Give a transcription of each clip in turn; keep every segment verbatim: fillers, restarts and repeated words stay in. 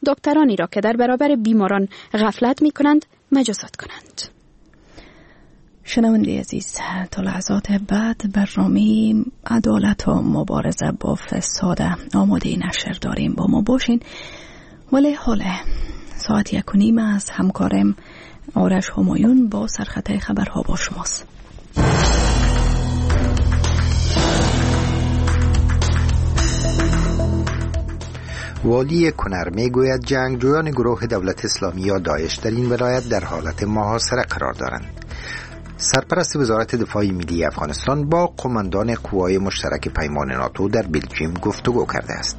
دکترانی را که در برابر بیماران غفلت می کنند مجازات کنند. شنونده عزیز، تا لحظات بعد برنامه عدالت و مبارزه با فساد آماده نشر داریم، با ما باشین. ولی حالا ساعت یک و نیم از همکارم آرش همایون با سرخط خبرها با شماست. والی کنر میگوید جنگجویان گروه دولت اسلامی یا داعش در این ولایت در حالت محاصره قرار دارند. سرپرست وزارت دفاع ملی افغانستان با قماندان قوای مشترک پیمان ناتو در بلژیم گفتگو کرده است.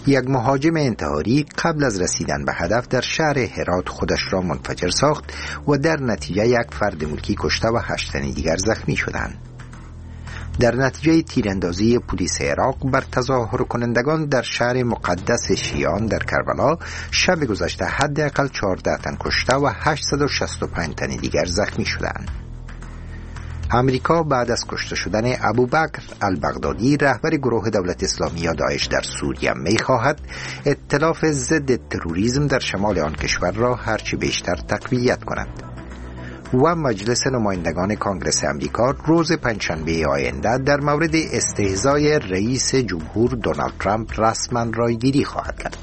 یک مهاجم انتحاری قبل از رسیدن به هدف در شهر هرات خودش را منفجر ساخت و در نتیجه یک فرد ملکی کشته و هشت تن دیگر زخمی شدند. در نتیجه تیراندازی پلیس عراق بر تظاهر کنندگان در شهر مقدس شیعان در کربلا شب گذشته حداقل چهارده تن کشته و هشتصد و شصت و پنج تن دیگر زخمی شدند. امریکا بعد از کشته شدن ابوبکر البغدادی رهبر گروه دولت اسلامی یا داعش در سوریه می‌خواهد ائتلاف ضد تروریسم در شمال آن کشور را هرچه بیشتر تقویت کند. و مجلس نمایندگان کانگرس امریکا روز پنجشنبه آینده در مورد استهزای رئیس جمهور دونالد ترامپ رسما رایگیری خواهد کرد.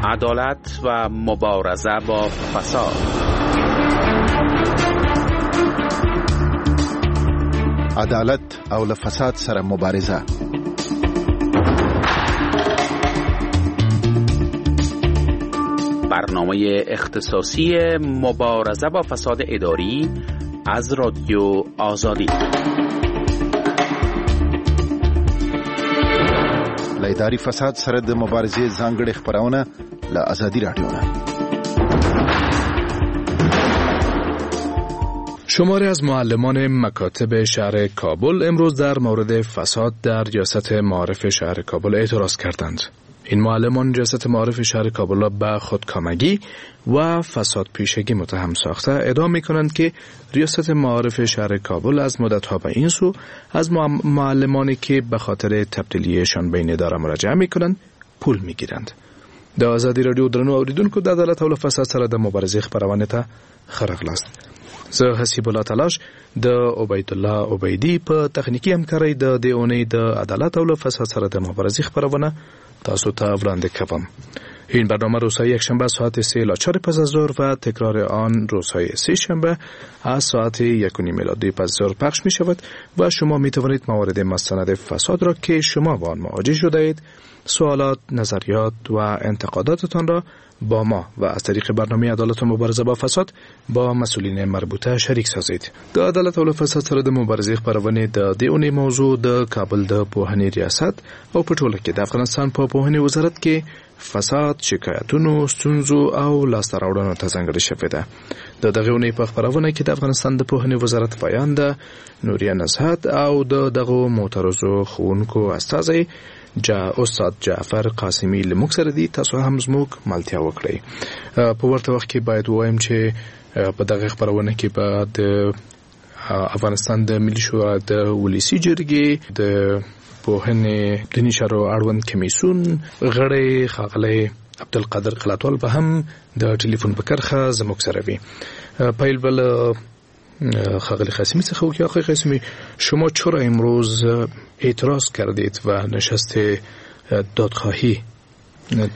عدالت و مبارزه با فساد. عدالت او له فساد سره مبارزه. برنامه اختصاصی مبارزه با فساد اداری از رادیو آزادی. له اداري فساد سره د مبارزې ځانګړې خپرونه له ازادي رادیو نه. شماری از معلمان مکاتب شهر کابل امروز در مورد فساد در ریاست معارف شهر کابل اعتراض کردند. این معلمان ریاست معارف شهر کابل را به خودکامگی و فساد پیشگی متهم ساخته ادعا می کنند که ریاست معارف شهر کابل از مدتها به این سو از معلمانی که به خاطر تبدیلیشان به این اداره مراجعه می کنند پول می گیرند. د ازادي رادیو درنو اوریدونکو د عدالت او فساد سره د مبارزې خپرونې ته ښه راغلاست. زه حسیب الله تلاش د عبیدالله عبیدی په تخنیکي همکارۍ د دې اونۍ د عدالت او فساد سره د مبارزې خپرونه تاسو ته وړاندې کوم. این برنامه روزهای یکشنبه ساعت سه الی چهار پس از ظهر و تکرار آن روزهای سه شنبه از ساعت یک و نیم الی دو پس از ظهر پخش می شود و شما می توانید موارد مستند فساد را که شما با آن مواجه شده اید، سوالات، نظریات و انتقاداتتان را با ما و از طریق برنامه عدالت و مبارزه با فساد با مسئولین مربوطه شریک سازید. د عدالت او فساد سره د مبارزې خپرونې د دې اونۍ موضوع د کابل د پوهنې ریاست او په ټوله کې د افغانستان په پوهنې وزارت کې فساد، شکایتونو، ستونزو او لاسته راوړنو ته ځانګړې شوې ده. د دغې اونۍ په خپرونه کې د افغانستان د پوهنې وزارت ویانده نوریه نزهت او د دغو معترضو ښوونکو استازی جا استاد جعفر قاسمی له موږ سره دي. تاسو هم زموږ ملتیا وکړئ. په ورته وخت کې باید ووایم چې په دغه خپرونه کې به د افغانستان د ملي شورا د ولسي جرګې د پوهنې دیني چارو اړوند کمیسیون غړی ښاغلی عبدالقادر قلاتوال به هم د ټلیفون په کرښه زموږ سره وي. پیل به له ښاغلی قاسمی څخه وکړي. آقای قاسمی، شما چرا امروز اعتراض کردید و نشست دادخواهی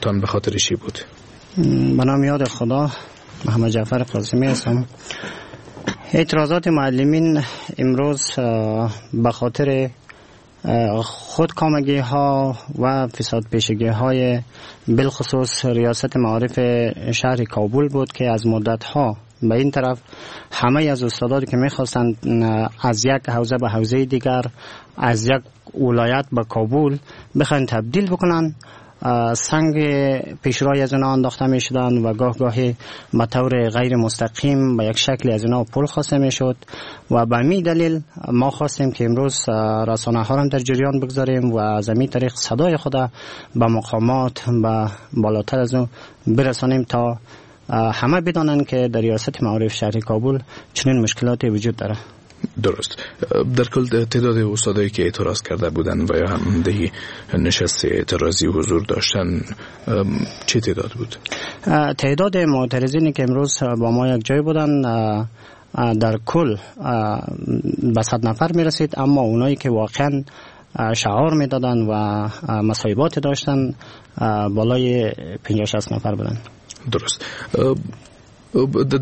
تان به خاطر چی بود؟ به نام یاد خدا، محمد جعفر قاسمی هستم. اعتراضات معلمین امروز به خاطر خودکامگی ها و فساد پیشگی های بالخصوص ریاست معارف شهر کابل بود که از مدت ها به این طرف همه از استادانی که میخواستند از یک حوزه به حوزه دیگر، از یک ولایت به کابل بخواین تبدیل بکنن، سنگ پیشرای از اونا انداخته می شدن و گاه گاهی به طور غیر مستقیم به یک شکل از اونا پول خواسته می شد و به می دلیل ما خواستیم که امروز رسانه ها را در جریان بگذاریم و از این طریق صدای خود به مقامات به بالاتر از اون برسانیم تا همه بدانند که در ریاست معارف شهر کابل چنین مشکلاتی وجود داره. درست. در کل تعداد استادایی که اعتراض کرده بودن و یا هم در نشست اعتراضی حضور داشتن چه تعداد بود؟ تعداد معترضینی که امروز با ما یک جای بودن در کل به صد نفر می رسید، اما اونایی که واقعا شعار می دادن و مصایبات داشتن بالای پنجاه شصت نفر بودن. درست.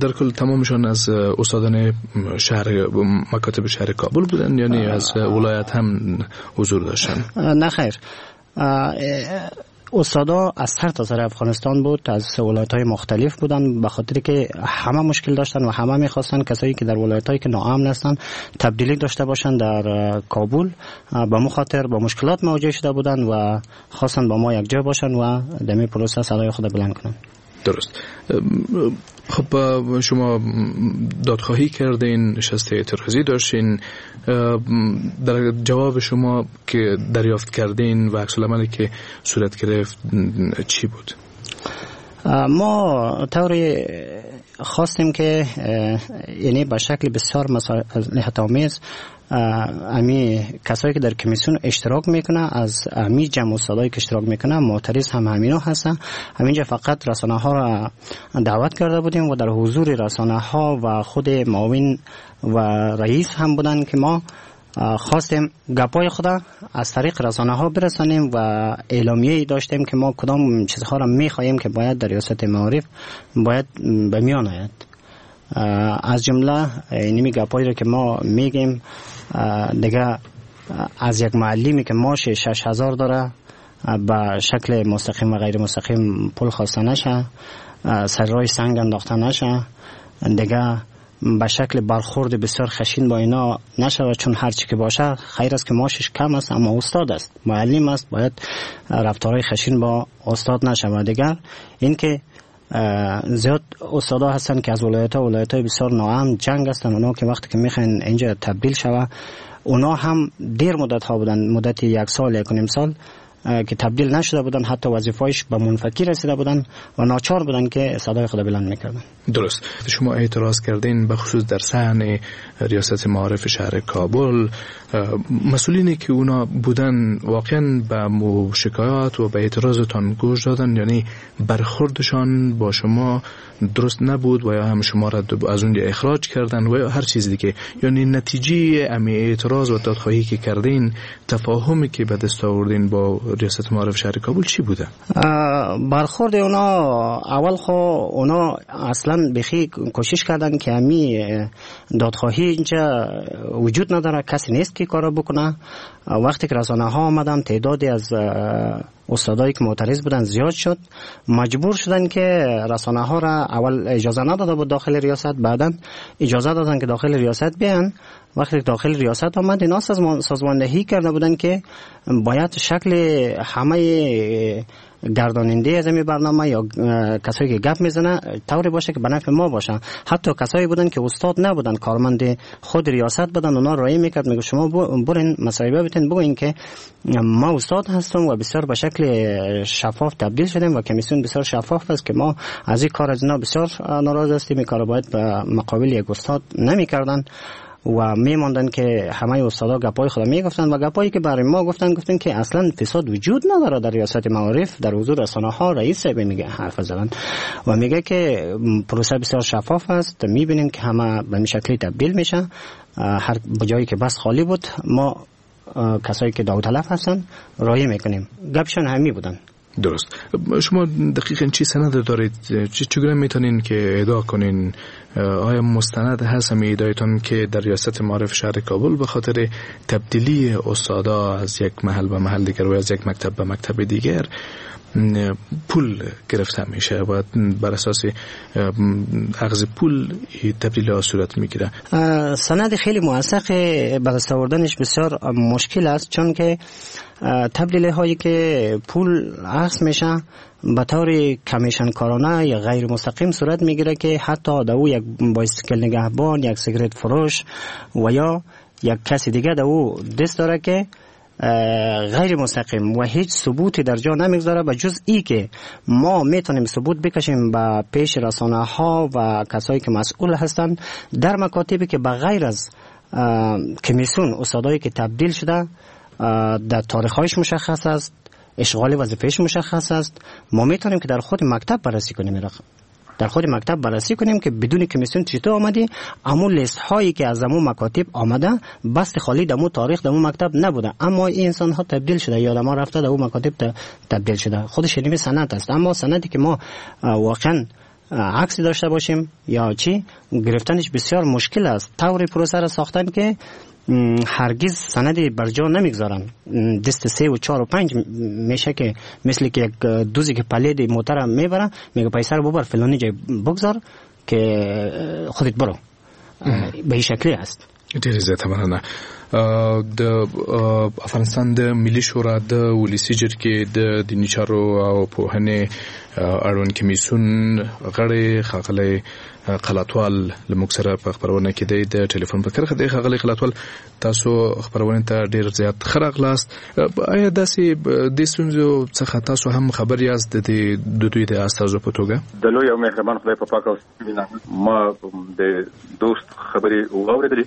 در کل تمامشان از استادان شهر مکاتب شهر کابل بودن، یعنی از ولایت هم حضور داشتن؟ نه خیر، استادا از سر تا سر افغانستان بود، از ولایت‌های مختلف بودن، به خاطر که همه مشکل داشتن و همه می‌خواستن کسایی که در ولایت‌هایی که ناامن هستن تبدیلی داشته باشن در کابل، به مخاطر با مشکلات مواجه شده بودن و خواستن با ما یک جا باشن و در این پروسه صدای خود بلند کنن. درست. خب شما دادخواهی کردین، نشست اعتراضی داشتین، در جواب شما که دریافت کردین و عکس العملی که صورت گرفت چی بود؟ ما طوری خواستیم که یعنی به شکل بسیار مصالحت‌آمیز امی کسایی که در کمیسیون اشتراک میکنه، از امی جمع استادایی که اشتراک میکنه معترض هم همینا هستن. همینجا فقط رسانه ها را دعوت کرده بودیم و در حضور رسانه ها و خود معاون و رئیس هم بودن که ما خواستیم گپای خود از طریق رسانه ها برسانیم و اعلامیه داشتیم که ما کدام چیزها را میخواهیم که باید در ریاست معارف باید به میان آید. از جمله اینمی گپایی را که ما میگیم دیگه از یک معلمی که معاش شش هزار داره به شکل مستقیم و غیر مستقیم پول خواسته نشه، سر راه سنگ انداخته نشه، دیگه به شکل برخورد بسیار خشین با اینا نشود، چون هر چی که باشه خیر است که معاشش کم است اما استاد است، معلم است، باید رفتارهای خشین با استاد نشود. دیگر اینکه زیاد استادا هستن که از ولایت‌ها ولایت‌های بسیار ناامن جنگ هستن، اونا که وقتی که میخواین اینجا تبدیل شوه اونا هم دیر مدت ها بودن، مدت یک سال یک و نیم سال که تبدیل نشده بودن، حتی وظیفه‌اش به منفکی رسیده بودن و ناچار بودن که صدای خود بلند میکردن. درست. شما اعتراض کردین به خصوص در صحن ریاست معارف شهر کابل، مسئولینی که اونا بودن واقعا به شکایات و به اعتراضتان گوش دادن، یعنی برخوردشان با شما درست نبود و یا هم شما را از اونجا اخراج کردن و یا هر چیز دیگه، یعنی نتیجه امی اعتراض و دادخواهی که کردین، تفاهمی که به دست آوردین با ریاست معارف شهر کابل چی بوده؟ برخورد اونا اول خو اونا اصلا بخی کوشش کردن که امی دادخواهی اینجا وجود نداره، کسی نیست که کارا بکنه. وقتی که رسانه ها آمدن تعدادی از استادایی که معترض بودن زیاد شد، مجبور شدن که رسانه ها را اول اجازه نداده بود داخل ریاست، بعدا اجازه دادن که داخل ریاست بیان. وقتی داخل ریاست آمد اینا سازماندهی کرده بودن که باید شکل همه گرداننده از این برنامه یا کسایی که گپ میزنه طوری باشه که به نفع ما باشه. حتی کسایی بودن که استاد نبودن، کارمند خود ریاست بودن، اونا رای میکرد، میگه شما برین مصاحبه بتین بگوین که ما استاد هستم و بسیار به شکل شفاف تبدیل شدیم و کمیسیون بسیار شفاف است که ما از این کار از اینا بسیار ناراض هستیم، این کار باید به مقابل یک استاد نمیکردن و میماندن که همه استادا گپای خود میگفتن و گپایی که برای ما گفتن گفتن که اصلا فساد وجود نداره در ریاست معارف. در حضور رسانه ها رئیس صاحب میگه حرف زدن و میگه که پروسه بسیار شفاف است، میبینیم که همه به شکلی تبدیل میشه، هر جایی که بس خالی بود ما کسایی که داوطلب هستن رای میکنیم. گپشون همی بودن. درست. شما دقیقاً چی سند دارید؟ چگونه میتونین که ادعا کنین؟ آیا مستند هست هم ادعایتون که در ریاست معارف شهر کابل به خاطر تبدیلی استادا از یک محل به محل دیگر و از یک مکتب به مکتب دیگر پول گرفته میشه و بر اساس اخذ پول تبدیل ها صورت میگیره؟ سند خیلی موثق به دست آوردنش بسیار مشکل است، چون که تبدیل هایی که پول اخذ میشه به طور کمیشن کارانه یا غیر مستقیم صورت میگیره که حتی در او یک بایسکل نگهبان، یک سیگرت فروش و یا یک کسی دیگه در او دست داره که غیر مستقیم و هیچ ثبوتی در جا نمیگذاره به جز ای که ما میتونیم ثبوت بکشیم به پیش رسانه ها و کسایی که مسئول هستند در مکاتبی که به غیر از کمیسیون استادایی که تبدیل شده در تاریخ‌هایش مشخص است، اشغال وظیفه‌اش مشخص است، ما میتونیم که در خود مکتب بررسی کنیم، در خود مکتب بررسی کنیم که بدون کمیسیون چطور آمدی، امو لیست هایی که از امو مکاتب آمده بست خالی دمو تاریخ دمو مکتب نبوده، اما این انسان ها تبدیل شده یا ما رفته دمو مکاتب تبدیل شده. خودش نیمه سند است، اما سندی که ما واقعا عکسی داشته باشیم یا چی گرفتنش بسیار مشکل است. طور پروسه را ساختن که هرگز سندی بر جا نمیگذارن، دست سه و چهار و پنج میشه که مثل که یک دوزی که پلید موتر میبره میگه پیسه رو ببر فلانی جای بگذار که خودت برو، به این شکلی است. ډېره زیاته مننه. د افغانستان د ملي شورا د ولسي جرګې د دیني چارو او پوهنې اړوند کمیسیون غړی ښاغلی قلاتوال له موږ سره په خپرونه کې دی، د ټلیفون په کرښه دی. ښاغلی قلاتوال، تاسو خپرونې ته ډېر زیات ښه راغلاست. آیا داسې د ستونزو څخه تاسو هم خبر یاست د د دوی د استازو په توګه؟ د لوی او مهربان خدای په پاک او ما د دوست خبرې واورېدلې،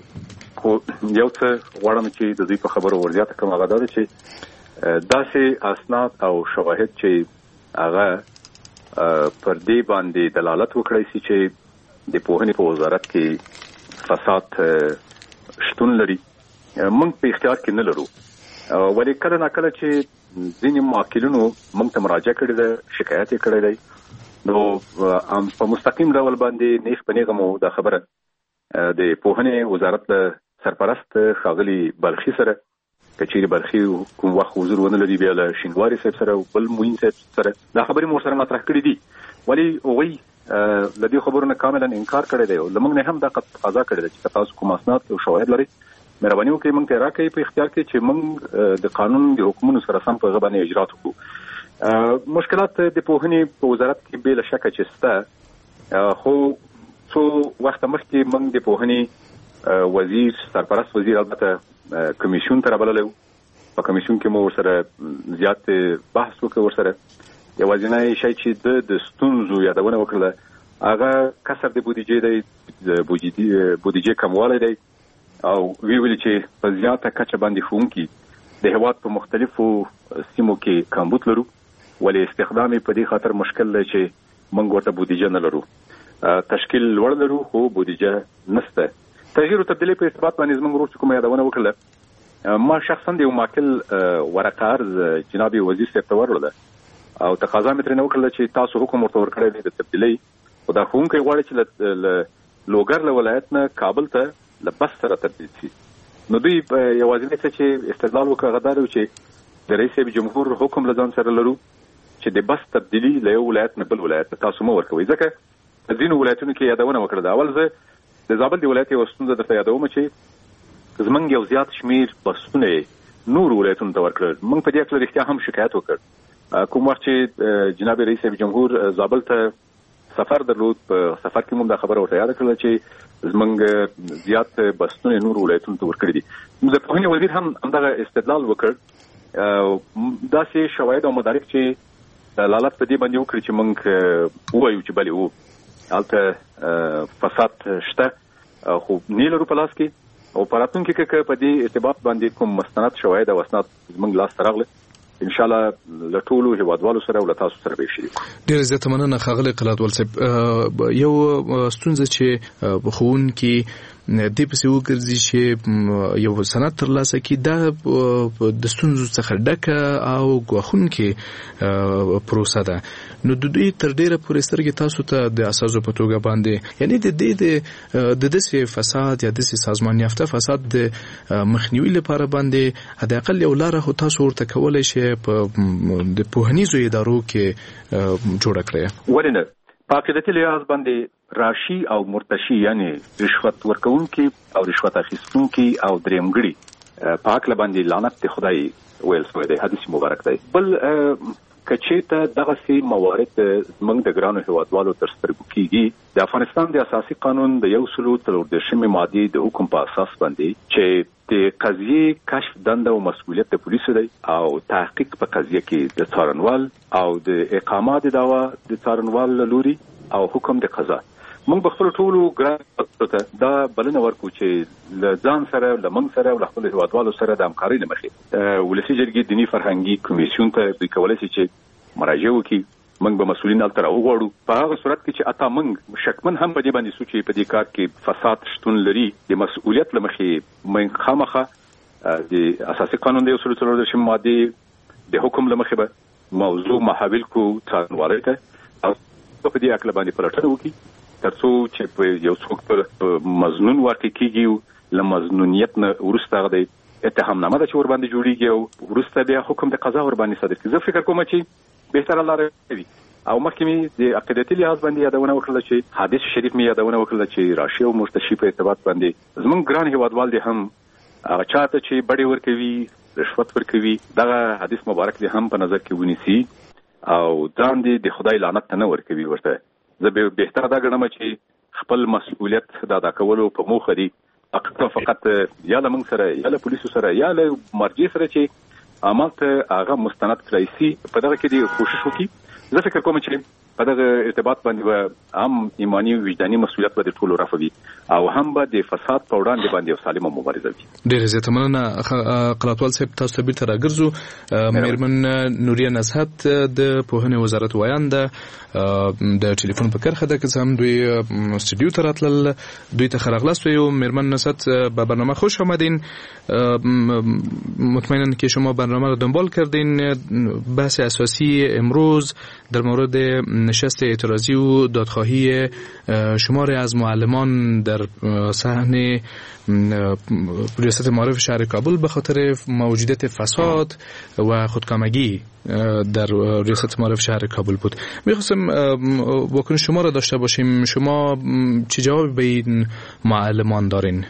خو یو څه غواړم چې د دوی په خبرو ورزیاته کړم، هغه دا ده چې داسې اسناد او شواهد چې هغه پر دې باندې دلالت وکړای شي چې د پوهنې په وزارت کې فساد شتون لري، موږ په اختیار کې نه لرو. ولې کله ناکله چې ځینې موکلینو موږ ته مراجعه کړې ده، شکایت یې کړی دی، نو په مستقیم ډول باندې نیغ په نیغه مو دا خبره د پوهنې وزارت له سرپرست ښاغلي بلخي سره، که چیرې بلخي کوم وخت حضور ونه لري بیا له شینواري صاحب سره او بل معین صاحب سره دا خبرې مو ورسره مطرح کړې دي. ولې هغوی له دې خبرو نه کاملا انکار کړی دی او له موږ نه هم دا تقاضا کړې ده چې که تاسو کوم اسناد او شواهد لرئ مهرباني وکړئ موږ ته یې راکړئ په اختیار کې چې موږ د قانون د حکمونو سره سم په هغه باندې اجرات وکړو. مشکلات د پوهنې په وزارت کې بې له شکه چې شته، خو څو وخته مخکې موږ د پوهنې وزیر، سرپرست وزیر البته کمیسیون ته رابللی و، په کمیسیون کې مو ورسره زیات بحث وکړ. ورسره یوازینی شی چې د د ستونزو یادونه وکړله هغه کسر د بودیجې دی، د بودیجې کموالی دی، او وی ویل چې په زیاته کچه باندې ښوونکي د هیواد په مختلفو سیمو کې کمبود لرو، ولې استخدام یې په دې خاطر مشکل دی چې موږ ورته بودیجه نه لرو، تشکیل لوړ لرو خو بودیجه نشته. تغییر او تبدیلۍ په ارتباط باندې زموږ ورور چې کومه یادونه وکړله، ما شخصا د یو ماکل ورقه عرض جناب وزیر صاحب ته وروړله او تقاضا مې ترېنه وکړله چې تاسو حکم ورته ورکړی دی د تبدیلۍ، خو دا ښوونکی غواړي چې له لوګر له ولایت نه کابل ته له بس سره تبدیل شي. نو دوی یوازینی څه چې استدلال وکړ هغه دا دی چې د رئیس صاحب جمهور حکم له ځان سره لرو چې د بس تبدیلي له یو ولایت نه بل ولایت ته تاسو مه ورکوئ، ځکه په ځینو ولایتونو کې یادونه وکړه. اول زه د زابل د ولایت یوه ستونزه درته یادوم چې زموږ یو زیات شمېر بسونه یې نورو ولایتونو ته ورکړل. موږ په دې هکله رښتیا هم شکایت وکړ. کوم وخت چې جناب رئیس صاحب جمهور زابل ته سفر درلود، په سفر کې موږ دا خبره ورته یاده کړله چې زموږ زیات بسونه نورو ولایتونو ته ورکړي دي. نو د پوهنې وزیر هم همدغه استدلال وکړ، داسې شواهد او مدارک چې دلالت په دې باندې وکړي چې موږ ووایو چې بلې وو هلته فساد شته، خو نه لرو په لاس کې، او په راتلونکي کې که په دې ارتباط باندې کوم مستند شواهد او اسناد زموږ لاس ته راغله ان شاء الله له ټولو هیوادوالو سره او له تاسو سره به شریک کړو. ډېره زیاته مننه ښاغلی قلاتوال صاحب. یو ستونزه چې ښوونکي دې پسې وګرځي چې یو سند ترلاسه کړي، دا د ستونزو څخه ډکه او ګواښونکې پروسه ده. نو د دوی تر ډېره پورې سترګې تاسو ته د اساسو په توګه باندې، یعنی د دې د داسې فساد یا داسې سازمان یافته فساد د مخنیوي لپاره باندې حداقل یو لاره خو تاسو ورته کولی شئ په د پوهنیزو ادارو کې جوړه کړئ. ولې نه؟ په عقیدتي لحاظ باندې راشي او مرتشي، یعنی رشوت ورکوونکي او رشوت اخیستونکي او درېیمګړي په هکله باندې لعنت د خدای ویل شوی دی، حدیث مبارک دی. بل که چېرته دغسې موارد زموږ د ګرانو هیوادوالو تر سترګو کیږي، د افغانستان د اساسي قانون د یو سلو څلور دېرشمې مادې د حکم په اساس باندې چې د قضیې کشف دنده او مسؤلیت د پولیسو دی او تحقیق په قضیه کې د څارنوال او د اقامه د دعوا د څارنوال له لوري او حکم د قضا، موږ به خپلو ټولو ګرانو ته دا بلنه ورکړو چې له ځان سره، له موږ سره او له خپلو هیوادوالو سره د همکارۍ له مخې ولسي جرګې دیني فرهنګي کمیسیون ته دوی کولی شي چې مراجعه وکړي. موږ به مسؤلین هلته راوغواړو. په هغه صورت کې چې حتی موږ شکمن هم په دې باندې سو چې په دې کار کې فساد شتون لري، د مسؤلیت له مخې موږ خامخا د اساسي قانون د یو سل څلور دېرشمې مادې د حکم له مخې به موضوع محول کړو څارنوالۍ ته او په دې هکله باندې پلټنه وکړي، ترڅو چې په یو څوک په مظنون واقع کیږي، له مظنونیت نه وروسته هغه د اتهامنامه ده چې ورباندې جوړیږي او وروسته بیا حکم د قضا ورباندې صادر کړي. زه فکر کوم چې بهتره لاره وي. او مخکې مې د عقیدتي لحاظ باندې یادونه وکړله چې حدیث شریف مې یادونه وکړله چې راشي او مرتشي په ارتباط باندې زمونږ ګران هیوادوال دې هم هغه چاته چې بډې ورکوي، رشوت ورکوي، دغه حدیث مبارک دې هم په نظر کې ونیسي او ځان دې د خدای لعنت ته نه ورکوي. ورته زه بهتره دا ګڼم چې خپل مسؤلیت د ادا کولو په موخه دي فقط فقط یا له موږ سره یا له پولیسو سره یا له مرجع سره چې عمل ته هغه مستند کړای سي، په دغه کې دې کوشش وکړي. زه فکر کوم چې په دغه ارتباط باندې به هم ایماني وجداني مسؤلیت به د ټولو رفع وي او هم به د فساد په وړاندې باندې یو سالمه مبارزه وي. ډېره زیاته مننه قلاتوال صاحب، تاسو ته بیرته راګرځو. میرمن نوریه نزهت د پوهنې وزارت ویانده د ټلیفون په کرښه ده، که څه هم دوی استودیو ته راتلل، دوی ته ښه راغلاست وایو. میرمن نزهت به برنامه خوش آمدین. مطمئنا که شما برنامه را دنبال کردین. بحث اساسی امروز در مورد نشست اعتراضی و دادخواهی شماری از معلمان در صحن ریاست معارف شهر کابل به خاطر موجودیت فساد و خودکامگی در ریاست معارف شهر کابل بود. میخواستم واکنش شما را داشته باشیم. شما چه جوابی به این معلمان دارین؟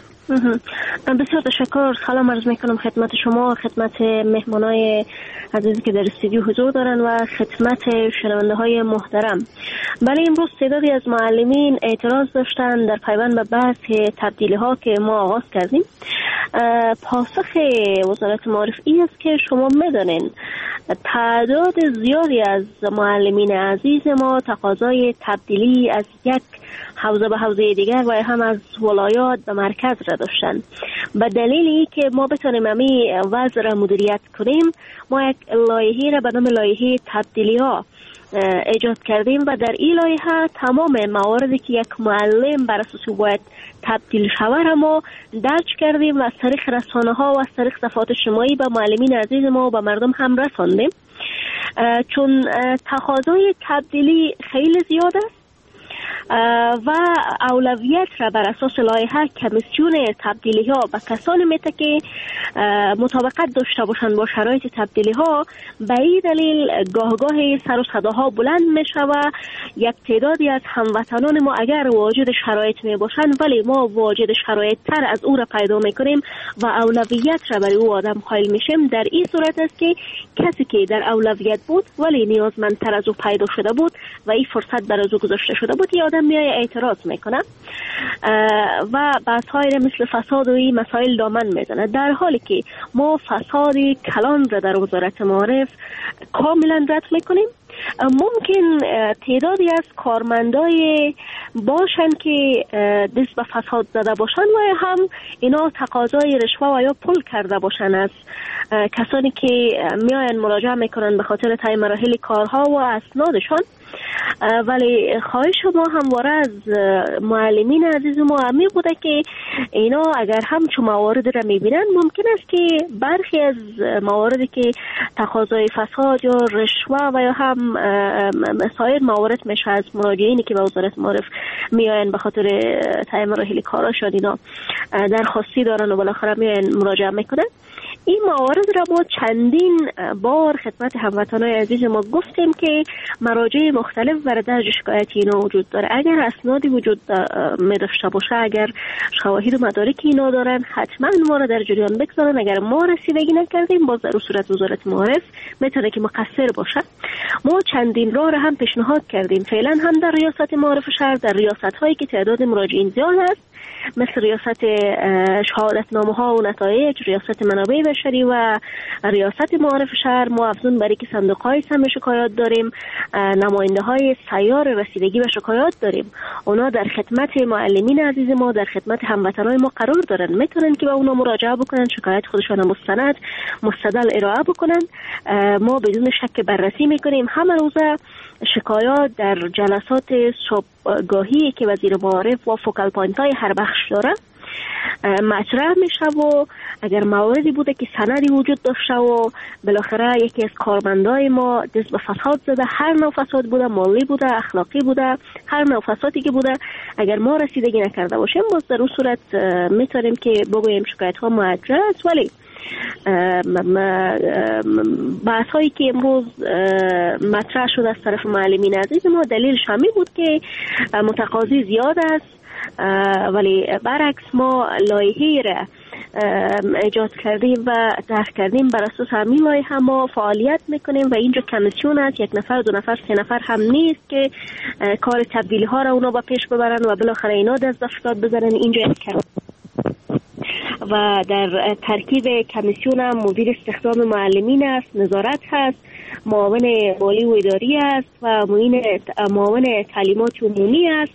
بسیار تشکر. سلام عرض میکنم خدمت شما، خدمت مهمانای عزیزی که در استودیو حضور دارن و خدمت شنونده های محترم. بله، امروز تعدادی از معلمین اعتراض داشتن در پیوند به بحث تبدیلی ها که ما آغاز کردیم. پاسخ وزارت معارف این است که شما میدانین تعداد زیادی از معلمین عزیز ما تقاضای تبدیلی از یک حوزه به حوزه دیگر و هم از ولایات به مرکز را داشتن. به دلیل ای که ما بتونیم امی وضع را مدیریت کنیم، ما یک لایحه را به نام لایحه تبدیلی ها ایجاد کردیم و در این لایحه تمام مواردی که یک معلم بر اساس باید تبدیل شود را ما درج کردیم و از طریق رسانه ها و از طریق صفحات اجتماعی به معلمین عزیز ما و به مردم هم رساندیم. چون تقاضای تبدیلی خیلی زیاد است و اولویت را بر اساس لایحه کمیسیون تبدیلی ها به کسانی میده که مطابقت داشته باشند با شرایط تبدیلی ها. به این دلیل گاه گاه سر و صداها بلند میشه و یک تعدادی از هموطنان ما اگر واجد شرایط می باشند ولی ما واجد شرایط تر از او را پیدا میکنیم و اولویت را برای او آدم قائل میشیم. در این صورت است که کسی که در اولویت بود ولی نیازمندتر از او پیدا شده بود و این فرصت برای او گذاشته شده بود، یه آدم میای اعتراض میکنه و بحث‌های مثل فساد و این مسائل دامن میزنه، در حالی که ما فساد کلان را در وزارت معارف کاملا رد میکنیم. ممکن تعدادی از کارمندای باشن که دست به فساد زده باشن و هم اینا تقاضای رشوه و یا پول کرده باشن از کسانی که میاین مراجعه میکنن به خاطر تعیین مراحل کارها و اسنادشان. ولی خواهش ما همواره از معلمین عزیز ما همی بوده که اینا اگر هم چو موارد را میبینن، ممکن است که برخی از مواردی که تقاضای فساد یا رشوه و یا هم سایر موارد میشه از مراجعینی که به وزارت معارف میاین به خاطر تعیین مراحل کاراشان اینا درخواستی دارن و بالاخره میاین مراجعه میکنن، این موارد را ما چندین بار خدمت هموطنان عزیز ما گفتیم که مراجع مختلف برای درج شکایت اینا وجود داره. اگر اسنادی وجود می داشته باشه، اگر شواهد و مدارک اینا دارن، حتما ما را در جریان بگذارن. اگر ما رسیدگی نکردیم، باز در صورت وزارت معارف میتونه که مقصر باشه. ما چندین راه را هم پیشنهاد کردیم، فعلا هم در ریاست معارف شهر، در ریاست هایی که تعداد مراجعین زیاد است، مثل ریاست شهادتنامه ها و نتایج، ریاست منابع بشری و ریاست معارف شهر، ما افزون بر اینکه صندوق های سم شکایات داریم، نماینده های سیار رسیدگی به شکایات داریم. اونا در خدمت معلمین عزیز ما، در خدمت هموطنان ما قرار دارن، میتونن که به اونا مراجعه بکنن، شکایت خودشان مستند مستدل ارائه بکنن. ما بدون شک بررسی میکنیم. همه روزه شکایات در جلسات صبحگاهی که وزیر معارف و focal point های هر بخش داره مطرح میشه و اگر مواردی بوده که سندی وجود داشته و بالاخره یکی از کارمندای ما دست به فساد زده، هر نوع فساد بوده، مالی بوده، اخلاقی بوده، هر نوع فسادی که بوده، اگر ما رسیدگی نکرده باشیم، باز در اون صورت میتونیم که بگوییم شکایت ها موجه است. ولی بحث هایی که امروز مطرح شد از طرف معلمین عزیز ما، دلیلش همین بود که متقاضی زیاد است، ولی برعکس ما لایحه را ایجاد کردیم و طرح کردیم، بر اساس همین لایحه ما فعالیت میکنیم و اینجا کمیسیون است، یک نفر، دو نفر، سه نفر هم نیست که کار تبدیلی ها را اونا با پیش ببرن و بالاخره اینا دست به فساد بزنن. اینجا یک و در ترکیب کمیسیون هم مدیر استخدام معلمین است، نظارت هست، معاون مالی و اداری است و معاون تعلیمات عمومی است.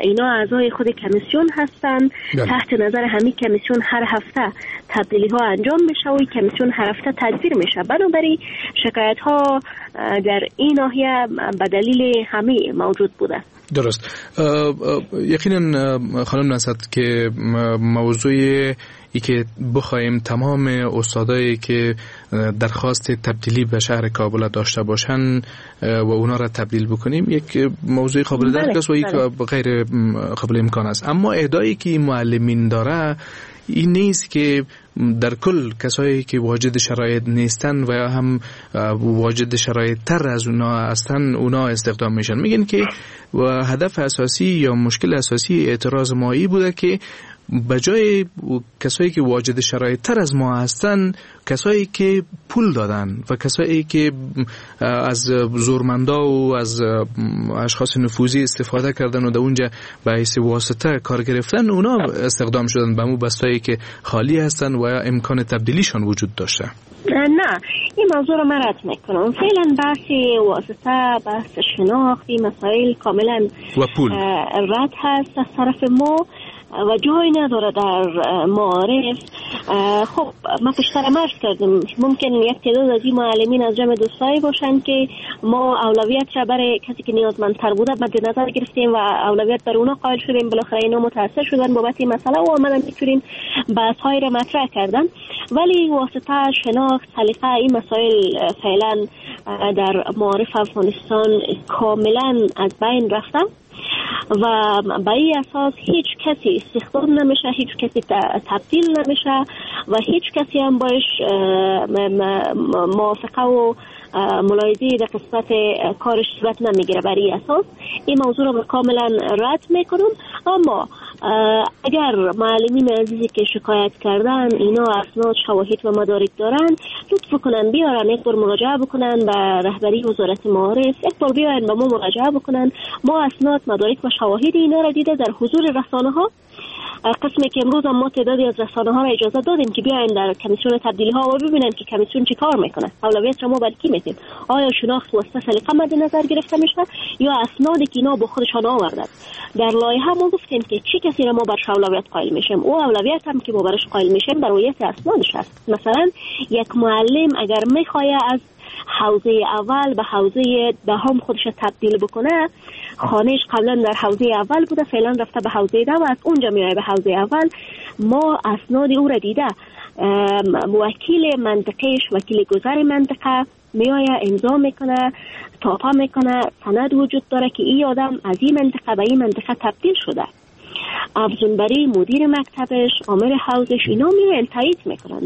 اینا اعضای خود کمیسیون هستند. تحت نظر همین کمیسیون هر هفته تبدیلی ها انجام میشه و کمیسیون هر هفته تدبیر میشه. بنابراین شکایت ها در این ناحیه به دلیل همه موجود بوده. درست. یقینا خانم نهضت که موضوع ای که بخوایم تمام استادایی که درخواست تبدیلی به شهر کابل داشته باشن و اونا را تبدیل بکنیم یک موضوع قابل درک است و یک غیر قابل امکان است. اما ادعایی که معلمین داره این نیست که در کل کسایی که واجد شرایط نیستن و یا هم واجد شرایط تر از اونا هستن اونا استخدام میشن. میگن که هدف اساسی یا مشکل اساسی اعتراض مایی بوده که بجای کسایی که واجد شرایط تر از ما هستن، کسایی که پول دادن و کسایی که از زورمندا و از اشخاص نفوذی استفاده کردن و در اونجا به حیث واسطه کار گرفتن، اونا استخدام شدن به مو بستایی که خالی هستن و امکان تبدیلیشان وجود داشته. نه، این موضوع رو من رد میکنم. فعلا بحث واسطه، بحث شناخت، این مسائل کاملا و پول رد هست از طرف ما و جایی نداره در معارف. خب ما پیشتر عرض کردم ممکن یک تعداد از این معلمین از جمع دوستایی باشن که ما اولویت را برای کسی که نیازمندتر بوده مد نظر گرفتیم و اولویت بر اونا قائل شدیم، بالاخره اینا متاثر شدن بابت این مسئله و آمدن میتونیم بحث های را مطرح کردن. ولی واسطه، شناخت، سلیقه، این مسائل فعلا در معارف افغانستان کاملا از بین رفتن و به این اساس هیچ کسی استخدام نمیشه، هیچ کسی تبدیل نمیشه و هیچ کسی هم باش موافقه و ملاحظه در قسمت کارش صورت نمیگیره. برای اساس این موضوع رو کاملا رد میکنم. اما اگر معلمین عزیزی که شکایت کردن اینا اسناد، شواهد و مدارک دارن، لطف کنن بیارن یک بار مراجعه بکنن به رهبری وزارت معارف، یک بار بیارن به ما مراجعه بکنن. ما اسناد، مدارک و شواهد اینا را دیده در حضور رسانه ها، قسمی که امروز هم ما تعدادی از رسانه ها را اجازه دادیم که بیاین در کمیسیون تبدیلی ها و ببینن که کمیسیون چه کار میکنه، اولویت را ما بر کی میدیم، آیا شناخت واسطه سلیقه مد نظر گرفته میشه یا اسنادی که اینا با خودشان آوردن. در لایحه ما گفتیم که چه کسی را ما برش اولویت قائل میشیم، او اولویت هم که ما برش قائل میشیم بر رویت اسنادش است. مثلا یک معلم اگر میخواد از حوزه اول به حوزه دهم خودش تبدیل بکنه، خانهش قبلا در حوزه اول بوده، فعلا رفته به حوزه ده و از اونجا میاد به حوزه اول، ما اسناد او را دیده، وکیل منطقهش، وکیل گذر منطقه میایه امضا میکنه، تاپا میکنه، سند وجود داره که این آدم از این منطقه به این منطقه تبدیل شده. افزون بری مدیر مکتبش، آمر حوزش، اینا میان تایید میکنن.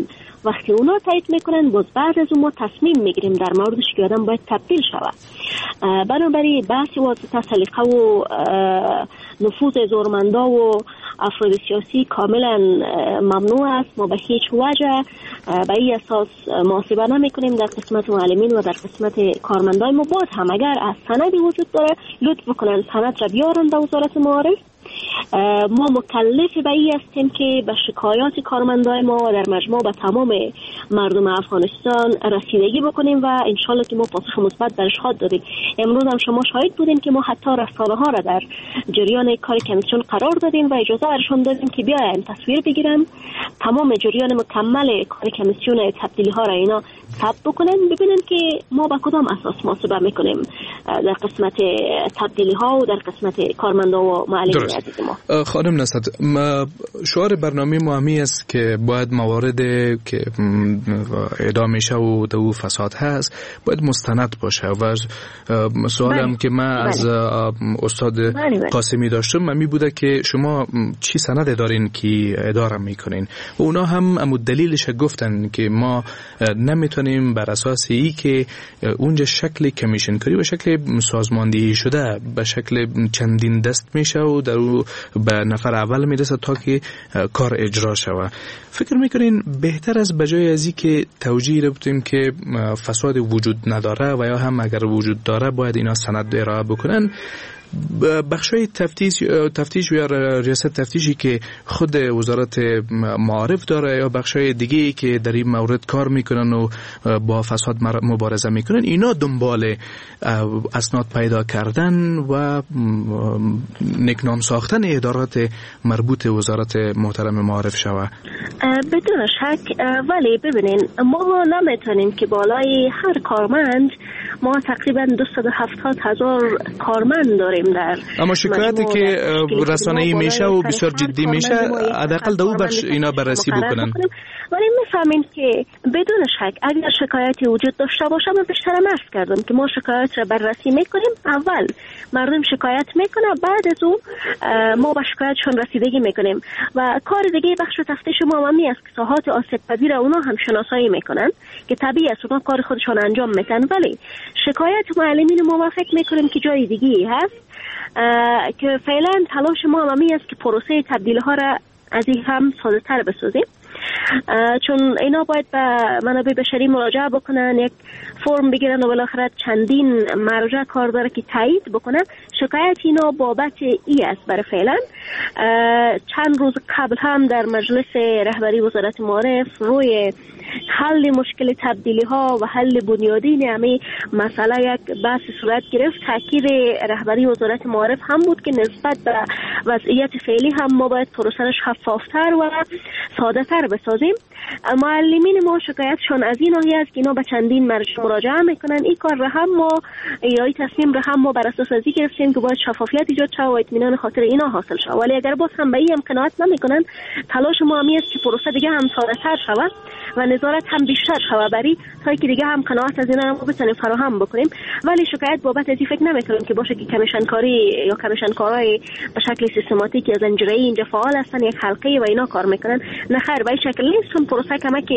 وقتی اونا تایید میکنن باز بعد از اون ما تصمیم میگیریم در موردش که آدم باید تبدیل شود. بنابراین بحث واسطه سلیقه و نفوذ زورمندا و افراد سیاسی کاملا ممنوع است. ما به هیچ وجه به این اساس محاسبه نمیکنیم در قسمت معلمین و در قسمت کارمندای ما. باز هم اگر از سندی وجود داره لطف بکنن سند را بیارن به وزارت معارف. ما مکلف به این هستیم که به شکایات کارمندای ما و در مجموع به تمام مردم افغانستان رسیدگی بکنیم و انشالله که ما پاسخ مثبت برش خواهد دادیم. امروز هم شما شاهد بودیم که ما حتی رسانه ها را در جریان کار کمیسیون قرار دادیم و اجازه برشون دادیم که بیاین تصویر بگیرن، تمام جریان مکمل کار کمیسیون تبدیلی ها را اینا ثبت بکنن، ببینن که ما به کدام اساس محاسبه میکنیم در قسمت تبدیلی ها و در قسمت کارمندا و معلمین. خانم نصرت، شعار برنامه ما همی است که باید موارد که ادعا میشه و دو فساد هست باید مستند باشه و سوالم که من از استاد قاسمی داشتم می بوده که شما چی سند دارین که اداره میکنین و اونا هم امو دلیلش گفتن که ما نمیتونیم بر اساس ای که اونجا شکل کمیشن کاری و شکل سازماندهی شده به شکل چندین دست میشه و در او به نفر اول میرسه تا که کار اجرا شوه. فکر میکنین بهتر از بجای ازی که توجیه رو بتیم که فساد وجود نداره و یا هم اگر وجود داره باید اینا سند ارائه بکنن، بخشای تفتیش تفتیش یا ریاست تفتیشی که خود وزارت معارف داره یا بخشای دیگه که در این مورد کار میکنن و با فساد مبارزه میکنن، اینا دنبال اسناد پیدا کردن و نکنام ساختن ادارات مربوط وزارت محترم معارف شوه؟ بدون شک. ولی ببینین ما نمیتونیم که بالای هر کارمند، ما تقریبا دویست و هفتاد هزار کارمند داریم در، اما شکایتی که رسانه‌ای میشه و بسیار جدی میشه حداقل دو بخش اینا بررسی بکنن. ولی میفهمیم که بدون شک اگر شکایتی وجود داشته باشه، من بیشتر عرض کردم که ما شکایت را بررسی میکنیم. اول مردم شکایت میکنه، بعد از او ما به شکایتشون رسیدگی میکنیم و کار دیگه بخش تفتیش ما هم است که ساحات آسیب پذیر اونا هم شناسایی میکنن که طبیعی است اونا کار خودشون انجام میدن. ولی شکایت معلمین ما فکر میکنیم که جای دیگه هست که فعلا تلاش ما هم است که پروسه تبدیل ها را از این هم ساده تر بسازیم، چون اینا باید به منابع بشری مراجعه بکنن، یک فرم بگیرن و بالاخره چندین مرجع کار داره که تایید بکنن. شکایت اینا بابت ای است برای فعلا. چند روز قبل هم در مجلس رهبری وزارت معارف روی حل مشکل تبدیلی ها و حل بنیادین همه مسئله یک بحث صورت گرفت. تاکید رهبری وزارت معارف هم بود که نسبت به وضعیت فعلی هم ما باید پروسه را شفافتر و ساده تر بسازیم. معلمین ما شکایتشون از این ناحیه است که اینا به چندین مرجع مراجعه میکنن. این کار را هم ما یا این تصمیم را هم ما بر اساس از این گرفتیم که باید شفافیت ایجاد شود و اطمینان خاطر اینا حاصل شود. ولی اگر باز هم به این هم قناعت نمیکنن، تلاش ما همی است که پروسه دیگه هم ساده تر شود و نظارت هم بیشتر شود بری تا که دیگه هم قناعت از اینا ما بتونیم فراهم بکنیم. ولی شکایت بابت از این فکر نمیکنم که باشه که کمیشن کاری یا کمیشن کارهای به شکل سیستماتیک یا زنجیره‌ای اینجا فعال هستن، یک حلقه و اینا کار میکنن. نه خیر، به این شکل نیست، چون پروسه کمک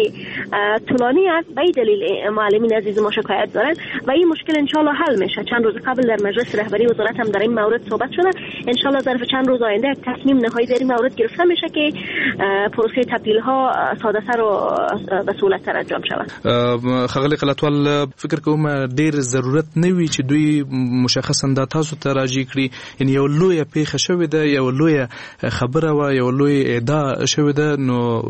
طولانی است. به این دلیل معلمین عزیز ما شکایت دارن و این مشکل ان شاء الله حل میشه. چند روز قبل در مجلس رهبری وزارت هم در این مورد صحبت شده. ان شاء الله ظرف چند روز آینده یک تصمیم نهایی در این مورد گرفته میشه که پروسه تبدیل ها ساده تر و به سهولت تر انجام شود. ښاغلی قلعتوال، فکر کوم ډیر ضرورت نه وي چې دوی مشخصا دا تاسو ته راجع کړي، یعنی یو لویه پیښه شوې ده، یو لویه خبره وه، یو لوی ادعا شوې ده، نو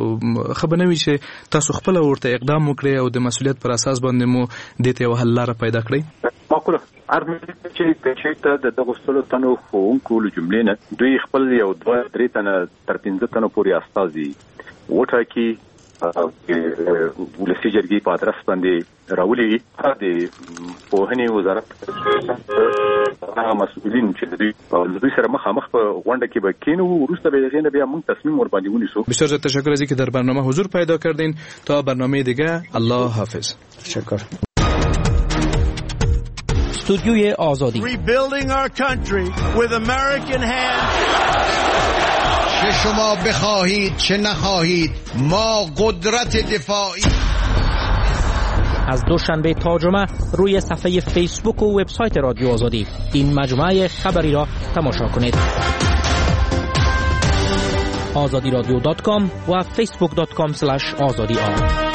ښه به نه وي چې تاسو خپله ورته اقدام وکړئ او د مسؤلیت پر اساس باندې مو دې ته یوه حل لاره پیدا کړئ؟ معقوله. عرض مې چې که چېرته د دغو سلو تنو ښوونکو له جملې نه دوی خپل یو دوه درې تنه تر پنځه تنو پورې استازي وټاکي، ولسي جرګې په ادرس باندې راولي، د پوهنې وزارت هغه مسؤلین چې د دوی سره مخامخ په غونډه کې به کینو، وروسته به هغې نه بیا موږ تصمیم ورباندې ونیسو. بسیار زیاد تشکر از اینکه در برنامه حضور پیدا کردین. تا برنامه دیگه، الله حافظ. تشکر. استودیوی آزادی. Rebuilding our country with American hands. چه شما بخواهید چه نخواهید، ما قدرت دفاعی. از دوشنبه تا جمعه روی صفحه فیسبوک و وبسایت رادیو آزادی این مجموعه خبری را تماشا کنید. آزادی رادیو dot com و فیسبوک dot com slash آزادی آر.